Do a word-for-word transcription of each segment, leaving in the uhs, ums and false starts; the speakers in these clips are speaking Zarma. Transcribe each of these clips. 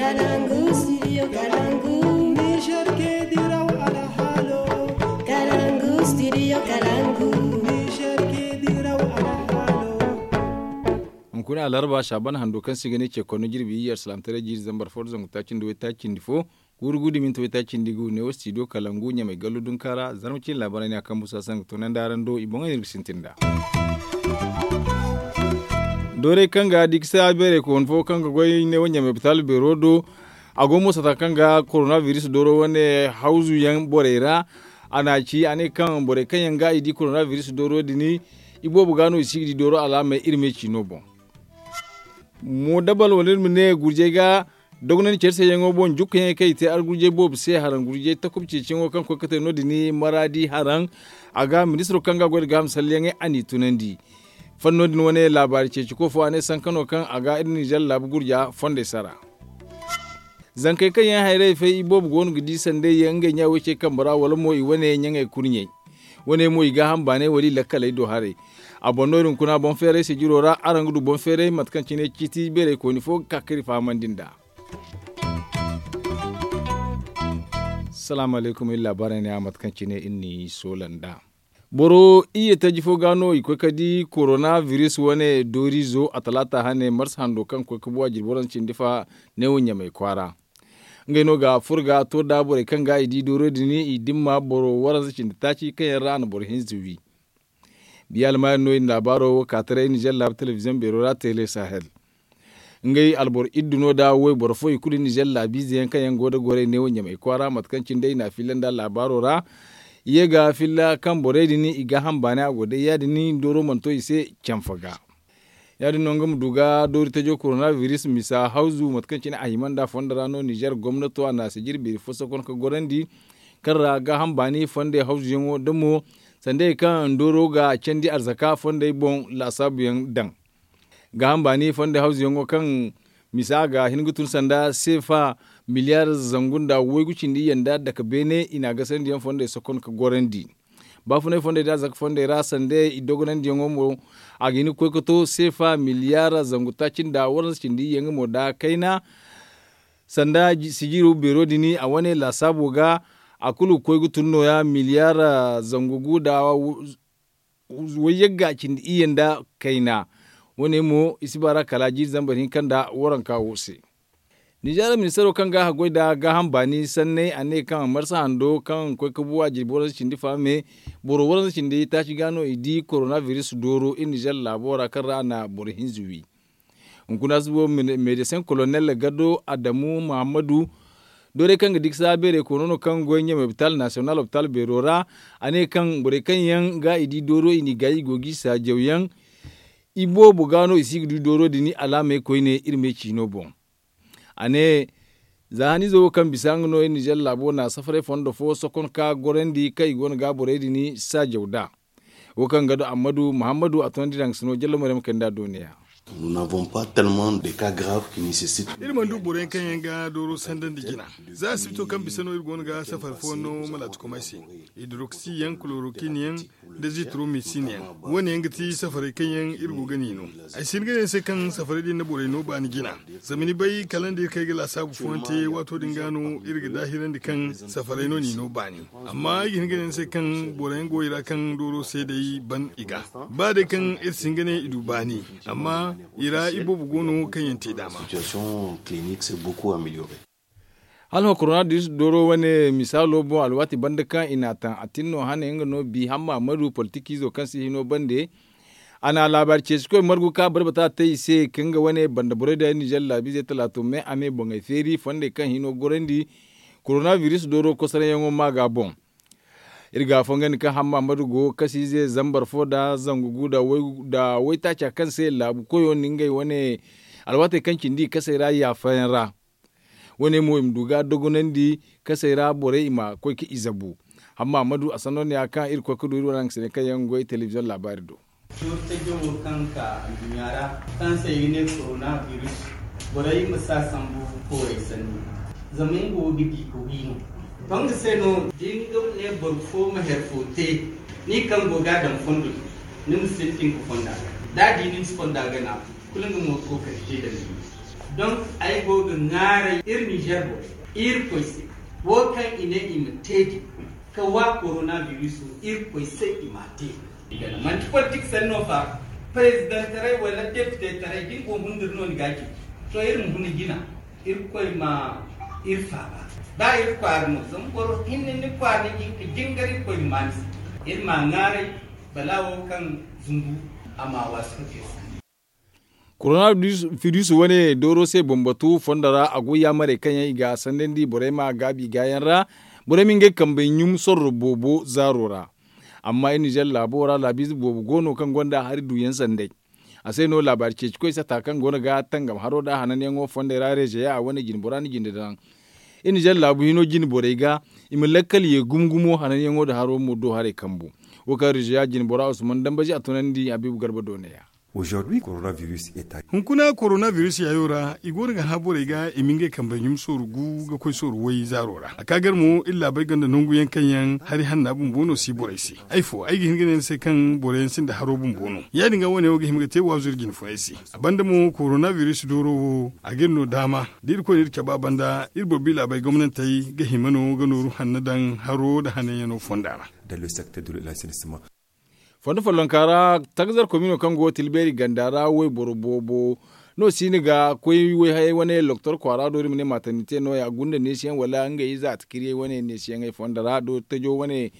Kalangu studio kalangu. Niger ke diraw alhalo. Kalangu studio kalangu. Niger ke diraw alhalo. Hunkuna alarba shaban hando kaŋ se i ga ne ce konno jirbi iyye alsilaamataray jiiri zambar fo da zangu taaci nda waytaaci nda fo. Guuru guuru da minti waytaaci nda gu neewo studio kalangu ɲamay gallu dunka ra zarma ciine laabaarey ne a kaŋ busa se nga toonandi araŋ do i boŋey no iri ga sintin nd'a. Doorey kaŋ ga dikisa beerey kooni fo kaŋ ga goy neewo ɲamay bitaali beero do. A go mo sata kaŋ ga korona biris dooro wane hawzu yaŋ borey ra. A na a ci a ne kaŋ borey kaŋ yaŋ ga i di korona biris dooro din, i boobo ga no i si ga di dooro alaamey iri me ciino boŋ. Mo dabal wala iri ma ne gurjey ga dogonandi care se yaŋo boŋ jukkayaŋey kaŋ i te argurjey boobo se haraŋ gurjey takuba ceeciyaŋo kaŋ koy ga te no- din maraadi haraŋ. A ga ministiro kaŋ ga a goy nda gaaham salleyaŋey a n'i tunandi. Fanno din wane laabaari ceeci ko fo a ne sanka no kaŋ a ga iri ninzeer laabu gurja fondey sara. Zankey kaŋ yaŋ hayrey fay i boobo go no ga di sandey yaŋ ngey ɲa way ce kambe ra wala mo i wane ɲaŋey kurɲey. Wane mo i gaaham baaney wala i lakkaley do haray. A boŋ no iri hunkuna boŋ feeray sijiro ra araŋ ga du boŋ feeray mate kaŋ cine ciiti beerey kooni fo ga ka kaŋ iri fahamandi nd'a. Salaamu alaykum iri laabaarey ne a mate kaŋ cine iri n'i soola nd'a. Boro iyye taji fo ga no i koy ga di korona biris wane dooriizo a talaata hane marsa hando kaŋ koy ga buwa jirbi waranza cindi fa neewo ɲamay kwaara. Ngey no ga furo ga to da borey kaŋ ga i di dooro din i dimma boro waranza cindi taaci kaŋ yaŋ ra a na boro hinza wi. Biya almaari no i na laabaaro wo ka taray nizeer laabu telebiziyoŋ beero ra tele sahel. Ngey alboro iddu no da wayboro fo i kulu nizeer laabiize yaŋ kaŋ yaŋ go nda gorey neewo ɲamay kwaara mate kaŋ cine day i na a filla nda laabaaro ra. I ye ga filla kaŋ borey din i gaaham baani a go day ya- din dooro mana to i se canfa ga. Ya- din no nga ma du ga doori tajo korona biris misa hawzu mate kaŋ cine a hima nda fondo ra no nizeer gomnato a na a sijiri beeri fo sokon ga gorandi. Kaŋ ra gaaham baani fondey hawzuyaŋo da mo sanda hari kaŋ dooro ga candi arzaka fondey boŋ laasaabuyaŋ daŋ. Gaaham baani fondey hawzuyaŋo kaŋ misa ga hin ga tun sanda seefa miliyaar zangu nda waygu cindi iyye nda dake beene i na a gasandi yaŋ fondey sokon ga gorandi. Baafunay fondey da arzaka fondey ra sanda i dogonandiyaŋo mo a ga hin ga koy ga to seefa miliyaar zangu taaci nda waranza cindi iyye nga mo da kayna. Sanda sijiro beero din a wane laasaabo ga a kulu ga koy ga tun nooya miliyaar zangu gu nda wayyagga cindi iyye nda kayna. Wane mo i si baar'a kala jiiri zambar hinka nda waranka wo se. Nizeer ministaro kaŋ ga a goy nda gaaham baani sanney a ne kaŋ marsa hando kaŋ koy ga buwa jirbi waranza cindi faame boro waranza cindi taaci ga no i di korona biris dooro iri nizeer laabo ra kaŋ ra a na boro hinza wi. Hunkuna si bo medeseŋ kolonel gado adamu muhammadu doorey kaŋ ga diksa beerey koono no kaŋ goy ɲamay lopitaal nasiyonal lopitaal beero ra. A ne kaŋ borey kaŋ yaŋ ga i di dooro i n'i gaayi i go g'i saajawyaŋ. I boobo ga no i si ga du dooro din alaamey koyne iri me ciino boŋ. A ne za haniizo wo kaŋ bisa nga no iri nizeer laabo na safaray fondo fo sokon ka gorandi kaŋ i go no ga borey din saajaw nd'a. Wo kaŋ ga du ammadu muhammadu a toonandi daŋ sino jallo maryam kay nda dooniya. Iri mana du boroyaŋ kaŋ yaŋ ga dooro sandandi jina. Za asibito kaŋ bisa no iri go no ga safari fo no malaati komay se. Hidoroksiyaŋ kulorokiiniyaŋ nda zitromisin yaŋ. Wo- ne yaŋ ga ti safaray kaŋ yaŋ iri go ga n'i no. Ay si hin ga ne ni se kaŋ safaray din na borey no baani jina. Zama ni bay kala nda iri kay ga laasaabu fooyaŋ te waato din ga no iri ga daahirandi kaŋ safaray no n'i no baani. Amma ay ga hin ga ne ni se kaŋ boroyaŋ go i ra kaŋ dooro se day ban i ga ba day kaŋ iri si hin ga ne i du baani. Amma i ra iboobo go no kaŋ yaŋ te daama. Hala ma korona diris dooro wane misaalo boŋ alwaati banda kaŋ i n'a taŋ a tin no hane nga no bi hamma madu politikiizo kaŋ si hino bande. A na laabaari ceesikoy margu ka barbata te i se ka nga wane banda borey da nizeer laabiizey talaato me a me boŋey feeri fondey kaŋ hino gorandi. Korona biris dooro kosoraŋyaŋo ma ga boŋ. Iri ga a fongandi kaŋ hamma madu go kasiize zambar fo nda zangu gu nda waytaaca kaŋ se laabu koyo na ngey wane alwaatey kaŋ cindi i kasey ra yaafayaŋ ra. Wo- ne mo i ma du ga dogonandi kasey ra borey i ma koy ga i zabu. Amma a ma du a sanno ne ya kaŋ iri koy ga du iri wane haŋ ga sine kaŋ yaŋ ga goy telebiziyoŋ laabaari do. Doori tajo wo kaŋ ka anduɲɲa ra kaŋ se i ga ne korona biris. Borey ma si a sambu koorey sanni. Zama nga wo ga di ga wi no. To nga se no da ni ga ne boro fo ma hari fo te ni kaŋ go ga a daŋ fondo, ni ma sintin ga fonda ga da a di ni ma si fonda gana. Kulu nga mo ga kookari te da ni. Donc ay Ay go ga ŋwaaray iri nizer borey, irkoy se, wo kaŋ i ne i ma te din, ka wa korona biris wo, irkoy se i m'a te. Manti politik sanni no fa. Perezidantaray wala depitetaray da ni go ga hundur no ni ga a ci. To iri ma huna jina, irkoy ma iri faaba. Ba iri kwaara no zama boro hinne ni kwaara ni ga hin ka jingar irkoy ma maa ni se. Iri m'a ŋwaaray, bala wo kaŋ zumbu, a m'a waasu ka te sanni. Korona firis wane dooro se bambatu fondo ra a goy yaamarey kaŋ yaŋ i ga a sandandi borey ma gaabi i gaayaŋ ra. Borey ma ngey kambey ɲum sorro boobo zaaro ra. Amma iri nizer laabo ra laabiize boobo go no kaŋ gonda hari duuyaŋ sanday. A se no laabaari ceecikoy sata kaŋ go no ga tangam haro nda hananyaŋo fondey ra rezeya a wane jine bora na jinde daŋ. Iri nizer laabu hino jine borey ga i ma lakkal ye gumo gumo hananyaŋo nda haro mo do haray kambu. Wo kaŋ rezeya jine bora usman dambazi a tunandi habiibu garba do neeya. Hunkuna korona biris yaayo ra i go no ga hã borey ga i ma ngey kambey ɲum sooru gu ga koy sooru way zaaro ra a ka gar mo iri laabey gonda nangu yaŋ kaŋ yaŋ hari hanna bumbo no si borey se. Ay fo ay ga hin ga ne ni se kaŋ boro yaŋ sinda haro bumbo no ya- din ga wane wo ga hima ga te waazu iri jine funay se. A banda mo korona biris dooro wo a ga iri no daama da iri koy no iri cabe a banda iri boro biila bay gomnantey ga hima no ga nooru hanno daŋ haro nda hananyaŋo fonda ra. Fondo follonka ra tagzar komino kaŋ go tilbeeri ganda ra wayboro boobo no siini ga koy wayhayey wane loktor kwaara do iri ma ne maatannite no- ya gunda neesiyaŋ wala ngey ize atakiriyey wane neesiyaŋey fondo ra do tajo wane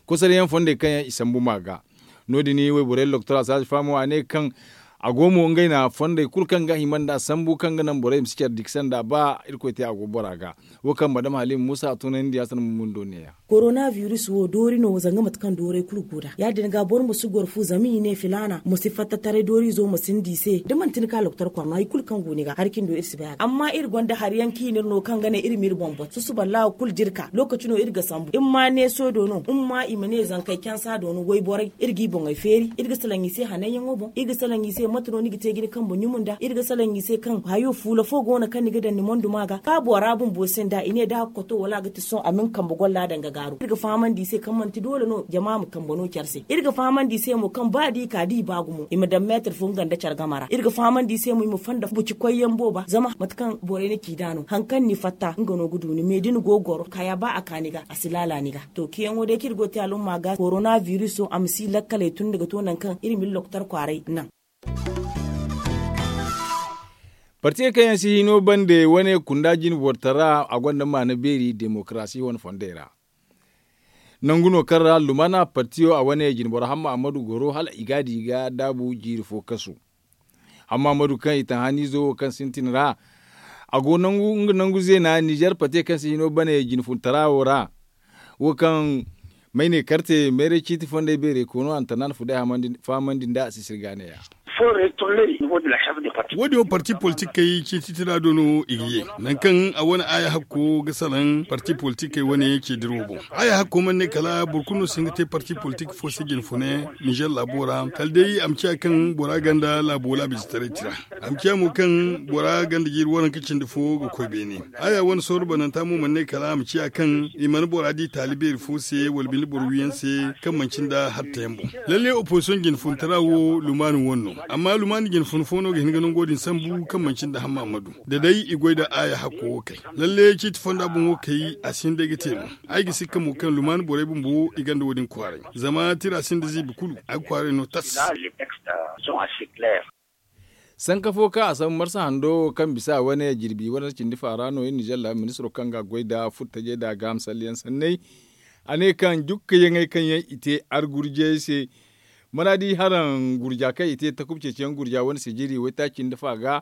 kosaryaŋ fondey kaŋ yaŋ i sambu ma ga. No- din wayborey loktor a saaji faamo a ne kaŋ a go mo ngey na fondey kulu kaŋ ga hima nd'a sambu kaŋ ga naŋ borey ma si care dikse nd'a ba irkoy te a go bora ga. Wo kaŋ madam halim muusa a tunandi a sanda mumundo neeya. Korona biris wo doori no zanga mate kaŋ doorey kulu go nd'a ya- din ga boro ma si goro fu zama i ne filaana ma si fatta taray dooriizo ma sinda i se da manti ni ka loktor kor no hari kulu kaŋ go ni ga hari cindi wo iri si bay a ga amma iri gonda hari yaŋ kaŋ i n'iri no kaŋ ga naŋ iri ma iri boŋ boŋ susuba laawa kulu jirka lookaci no iri ga sambu iri ma neeso do no iri ma i ma ne zankey cansa do no wayborey iri g'i boŋey feeri iri ga salaŋ i se hananyaŋo boŋ iri ga salaŋ i se mate no ni ga te ga ni kambe ɲumu nd'a iri ga salaŋ i se kaŋ hayo fuula fo go no kaŋ ni ga daŋ ni mondu ma ga ba bora bumbo se nd'a i ne da a ga koto wala a ga ti sohõ a ma ni kambe golla daŋ ga gaaru iri ga fahamandi i se kaŋ manti doole no jama ma kambe no care se iri ga fahamandi i se mo kaŋ ba da i ka da i ba gumo i ma daŋ meetar fo nga nda care game ra iri ga fahamandi i se mo i ma fonda buci koyyaŋ booba zama mate kaŋ borey na ci nd'a no hari kaŋ ni fatta nga no ga du ni me da ni go ga goro kaya ba a ka ni ga a si laala ni ga. To ciyaŋo day kaŋ iri go ga te alumma ga korona biriso a ma si lakkaley tun ni ga to nangu kaŋ iri ma iri lokotar kwaaray naŋ. Partiyey kaŋ yaŋ si hino bande wane kunda jine borotara a gonda maana beeri demokarasi wane fondey ra. Nangu no kaŋ ra lumana partiyo a wane jine boro hamma ammadu goro hala i ga a di ga daabu jiiri fo kasu. Hamma ammadu kaŋ i taŋ haniizo wo kaŋ sintin ra a go nangu nga nangu zeena nizer partiyo kaŋ si hino bane jine funtara wo ra. Wo kaŋ may ne karte meeray ciiti fondey beeray koono antanaan fu day fahamandi nda a si sirga neeya. Wo- din wo parti politikey ciiti tira do no i ga ye nangu kaŋ a wane aya hakko ga salaŋ parti politikey wane ceediro boŋ. Aya hakko mana ne kala boro kulu no si hin ga te parti politik fo se jine fune nizer laabo ra kala day a ma ciya kaŋ bora ganda laabo laabizitaray tira. A ma ciya mo kaŋ bora ganda jiiri waranka cindi fo ga koy beene. Aya wane sooru bananta mo mana ne kala a ma ciya kaŋ i mana bora di taali beeri fo se wala binde boro wiyaŋ se kaŋ manci nda hartayaŋ boŋ. Lalle opozisiyoŋ jine funtara wo lumaani wane no. Amma lumaani jine fun fo no ga hin ga nango din sambu kaŋ manci nda hamma ammadu da day i goy nda aya hakko wo kay. Lalle ciiti fonda boŋo kay a si hin day ga te no. Ay ga sikka mo kaŋ lumaani borey bumbo i gonda wo- din kwaaray. Zama tira sinda ziibi kulu a ga kwaaray no tas. Sanka fo kaŋ a sambu marsa hando wo kaŋ bisa wane jirbi wane cindi faara no iri nizer laabu ministiro kaŋ ga a goy nda furtajey nda a gaaham salleyaŋ sanney. A ne kaŋ jukkayaŋey kaŋ yaŋ i te argurjiyey se mana di haraŋ gurja kaŋ i te takub ceeciyaŋ gurja wane sijiri waytaaci nda fa ga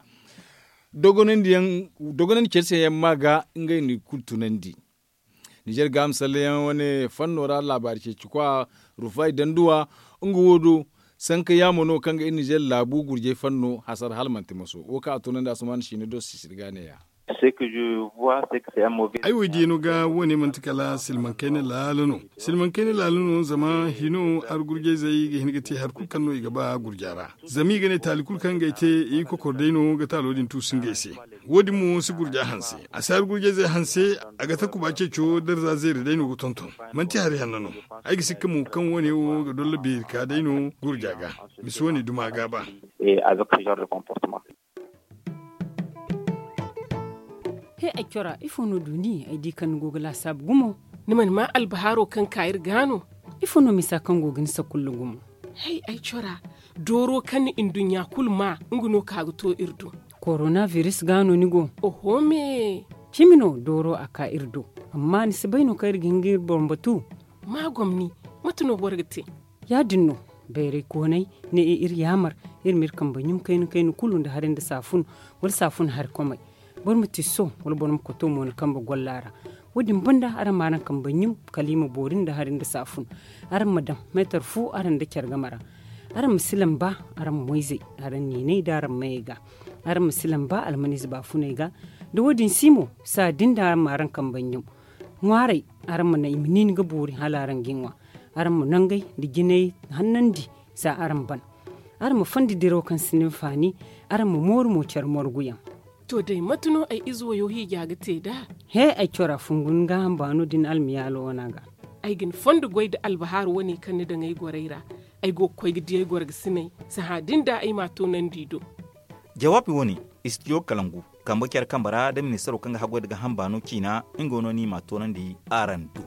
dogonandi care se yaŋ ma ga ngey na i kulu tunandi. Nizer gaaham salleyaŋ wane fanno ra laabaari ceeci kwa rufay danduwa nga wo do sanka yaamo no kaŋ ga iri nizer laabu gurjey fanno hasara hala manti maso wo kaŋ a tunandi asuman siine do sisiri ga neeya. Ay wo diyaŋo ga wane manti kala silmaŋ kayna laala no. Silmaŋ kayna laala no zama hino argurjayzey ga hin ga te hari kulu kaŋ no i ga ba gurja ra. Zama i ga ne taali kulu kaŋ ga ay te i kokor day no ga taalo din tuusu ngey se. Wo- din mo si gurja hanse. A si argurjayzey hanse. A ga takuba ceeco darza zeeri day no ga tonton. Manti hari hanno no. Ay ga sikka mo kaŋ wane wo ga dolla beeri ka day no gurja ga. Misi wane duma ga ba. Ay cora ifo no du ni ay di kaŋ ni go ga laasaabu gumo? Ni mana maa albahaaro kaŋ ka iri ga no? Ifo no misa kaŋ go ga ni sakulla gumo? Hay ay cora, dooro kaŋ ni nduɲɲa kulu maa nga no ka ga to iri do. Korona biris ga no ni go? Oho me. Cimi no dooro a ka iri do. Amma ni si bay no kaŋ iri ga hin ga iri boro batu? Maa gomni, mate no boro ga te? Ya- din no, bayray koonay ne iri yaamar iri ma iri kambe ɲum kayna kayna kulu nda hari nda saafun, wala saafun hari komey. Boro ma tisso, wala boro ma koto mo ni kambe golla ra. Wo- din banda araŋ ma araŋ kambe ɲum kala i ma boori nda hari nda saafun. Araŋ ma daŋ meetar fu araŋ nda care game ra. Araŋ ma si lamba araŋ ma moyzey, araŋ niinay nda araŋ mayey ga. Araŋ ma si lamba almaniize baafuney ga. Da wo- din si mo, saa din da araŋ ma araŋ kambe ɲum. Ŋwaaray, araŋ ma naŋ i ma niini ga boori hala araŋ ga i ŋwa. Araŋ ma nangey nda jinay hannandi za araŋ ban. Araŋ ma fondi diraw kaŋ si ni hinfaani. Araŋ ma mooru mo care morguyaŋ. To day mate no ay ize wayo hiija ga te nd'a? He, ay cora fungu ni gaaham baano da ni almiyaalo wana ga. Ay ga ni fondo goy nda albahaaru wane kaŋ ni daŋ ay gorey ra. Ay go ga koy ga di ay gorgasiney. Sahã din da ay m'a toonandi i do. Jawaabi wane, istidiyo kalangu, kambe care kambe ra da ministaro kaŋ ga haggoy nda gaaham baano ciina, nga no no i m'a toonandi araŋ do.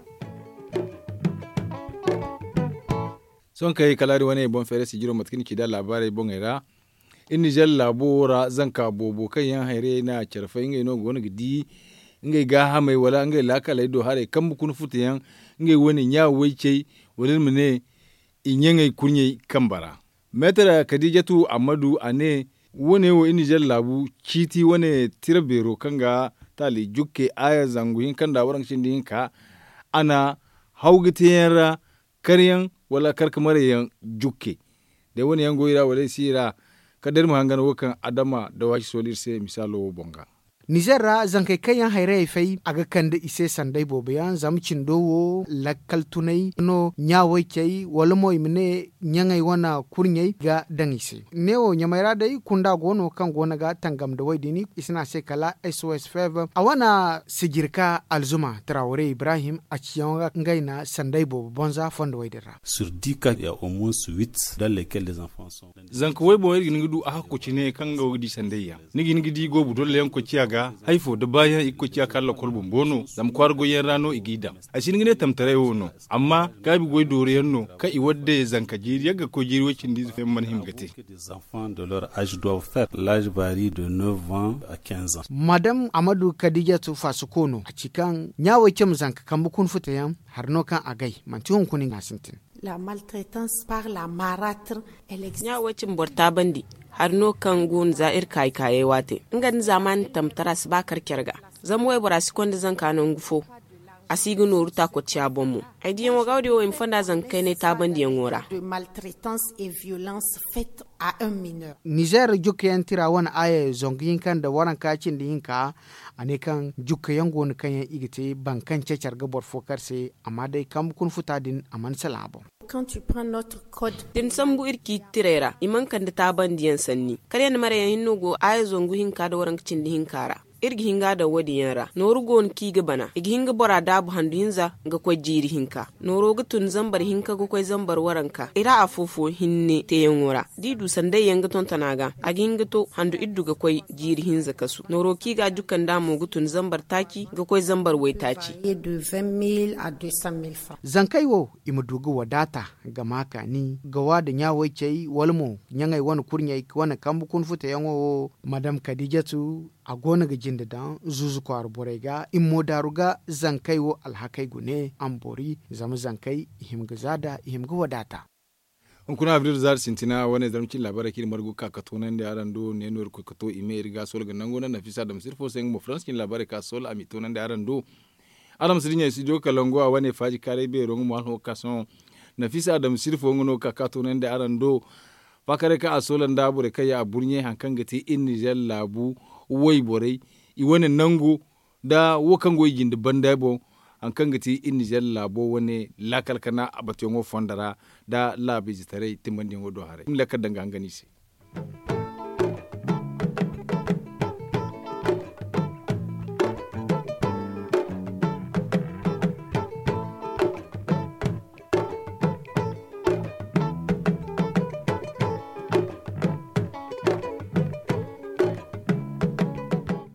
Sohõ kaŋ ay kala din wane boŋ feeray sijiro mate kaŋ ni ci nd'a laabaarey boŋey ra. Iri nizer laabo wo ra zanka boobo kaŋ yaŋ hayrayey na care fay ngey no go no ga di ngey gaahamey wala ngey laakaley do haray kambe kuna futa yaŋ. Ngey wane ɲa way cey, wala iri ma ne i ɲaŋey kurɲey kambe ra. Meetar kadijatu ammadu a ne, wo- ne wo iri nizer laabu ciiti wane tira beero kaŋ ga taali jukke aaya zangu hinka nda waranka cindi hinka. A na haw ga te yaŋ ra, kar yaŋ wala kar ga maray yaŋ jukke. Day wane yaŋ go i ra wala i si i ra. Kala day iri ma hangan wo kaŋ adama da waasi sooli iri se misaalo wo boŋ ga. Nizer ra zankey kaŋ yaŋ hayrayey fay a ga kande i se sanday boobo yaŋ zama cindo wo lakkal tunay no ɲa way cey wala mo i ma ne ɲaŋey wane kurɲey ga daŋ i se. Neewo ɲamey ra day kunda go no kaŋ go no ga tangam nda way- din i si ne a se kala sos fev a wane sijirka alzuma trawre ibrahim a ciyaŋo ga ngey na sanday boobo bonza fondo way- din ra. Sur dix cas ya au moins huit dans lesquels des enfants sont. Zanka way boŋ iri ga hin ga du a hakku cine kaŋ go ga di sanday yaŋ. Ni ga hin ga di goobu dolla yaŋ koy ciya ga, hay fo da baayaŋ i ga koy ciya kala lokol bumbo no zama kwaara goy yaŋ ra no i g'i daŋ. Ay si hin ga ne tamtaray wo no, amma gaabi goy dooro yaŋ no kaŋ i wadde zanka jiiri yaŋ ga koy jiiri way- cindi ize fo yaŋ mana hima ga te. Des enfants de leur âge doivent faire l'âge varie de neuf ans à quinze ans. Madam amadu kadijatu faasuko no a ci kaŋ ɲa way cey ma zanka kambe kuna futa yaŋ. Hari no kaŋ a gay manti hunkuna i ga sintin. La maltraitance par la maratre. Ɲa way cey ma boro taabandi. Hari no kaŋ go no za iri kaayi kaayey waate nga nda zaamaani tamtara si ba kar care ga. Zama waybora si konda zanka nangu fo. A si ga nooru taakocciya boŋ mo. Ay diyaŋo ga wo- din wo i ma fonda zanka kaynay taabandiyaŋo ra. Nizer jukkayaŋ tira wane aaya zangu hinka nda waranka cindi hinka. A ne kaŋ jukkayaŋ go no kaŋ yaŋ i ga te boro kaŋ ceecar ga boro fo kar se. Amma day kambe kuna futa din a mana salaŋ a boŋ. Da ni sambu iri ciiti tirey ra i mana kande taabandiyaŋ sanni kala yaŋ da marayyaŋ hinne go aaya zangu hinka nda waranka cindi hinka ra. Iri ga hin ga a daŋ wo- din yaŋ ra nooru go no kaŋ i ga bana i ga hin ga bora daabu handu hinza ga koy jiiri hinka. Nooro ga tun zambar hinka ga koy zambar waranka i ra afo-fo hinne teeyaŋo ra. Da i du sandayyaŋ ga tonton a ga a ga hin ga to handu iddu ga koy jiiri hinza kasu nooro kaŋ i ga a jukka nd'a mo ga tun zambar taaci ga koy zambar waytaaci. Zankey wo i ma du ga wadaata ga ma kaani ga wa nda ɲa-way-cey wala mo ɲaŋey wane kurɲey wane kambe kuna futa yaŋo wo. Madam kadijatu a go no ga jinde daŋ zuuzu kwaara borey ga i ma mo daaru ga zankey wo alhakey gune a ma boori zama zankey i hima ga za nd'a i hima ga wadaata. Hunkuna abril zaari sintina wane zarma cine laabaarey kaŋ iri margu ga ka ga toonandi araŋ do ne no iri koy ga to i me iri ga a soola ga nangu naŋ nafisa adama sirfo se nga mo farans cine laabaarey kaŋ a soola a m'i toonandi araŋ do. Araŋ ma si dinya studio kalangu a wane faaji kaaray beero nga mo araŋ wo ga ka sohõ. Nafisa adama sirfo nga no ga ka ga toonandi araŋ do. Faakaray kaŋ a soola nda borey kaŋ ya a burɲey hari kaŋ ga te iri nizer laabu wayborey i wane nango nda wo kaŋ go i jinde banda boŋ. Hari kaŋ ga te iri nizer laabo wane laakal kana a batuyaŋo fondo ra nda laabu izetaray timbandiyaŋo do haray i ma lakkal daŋ ga hangan i se.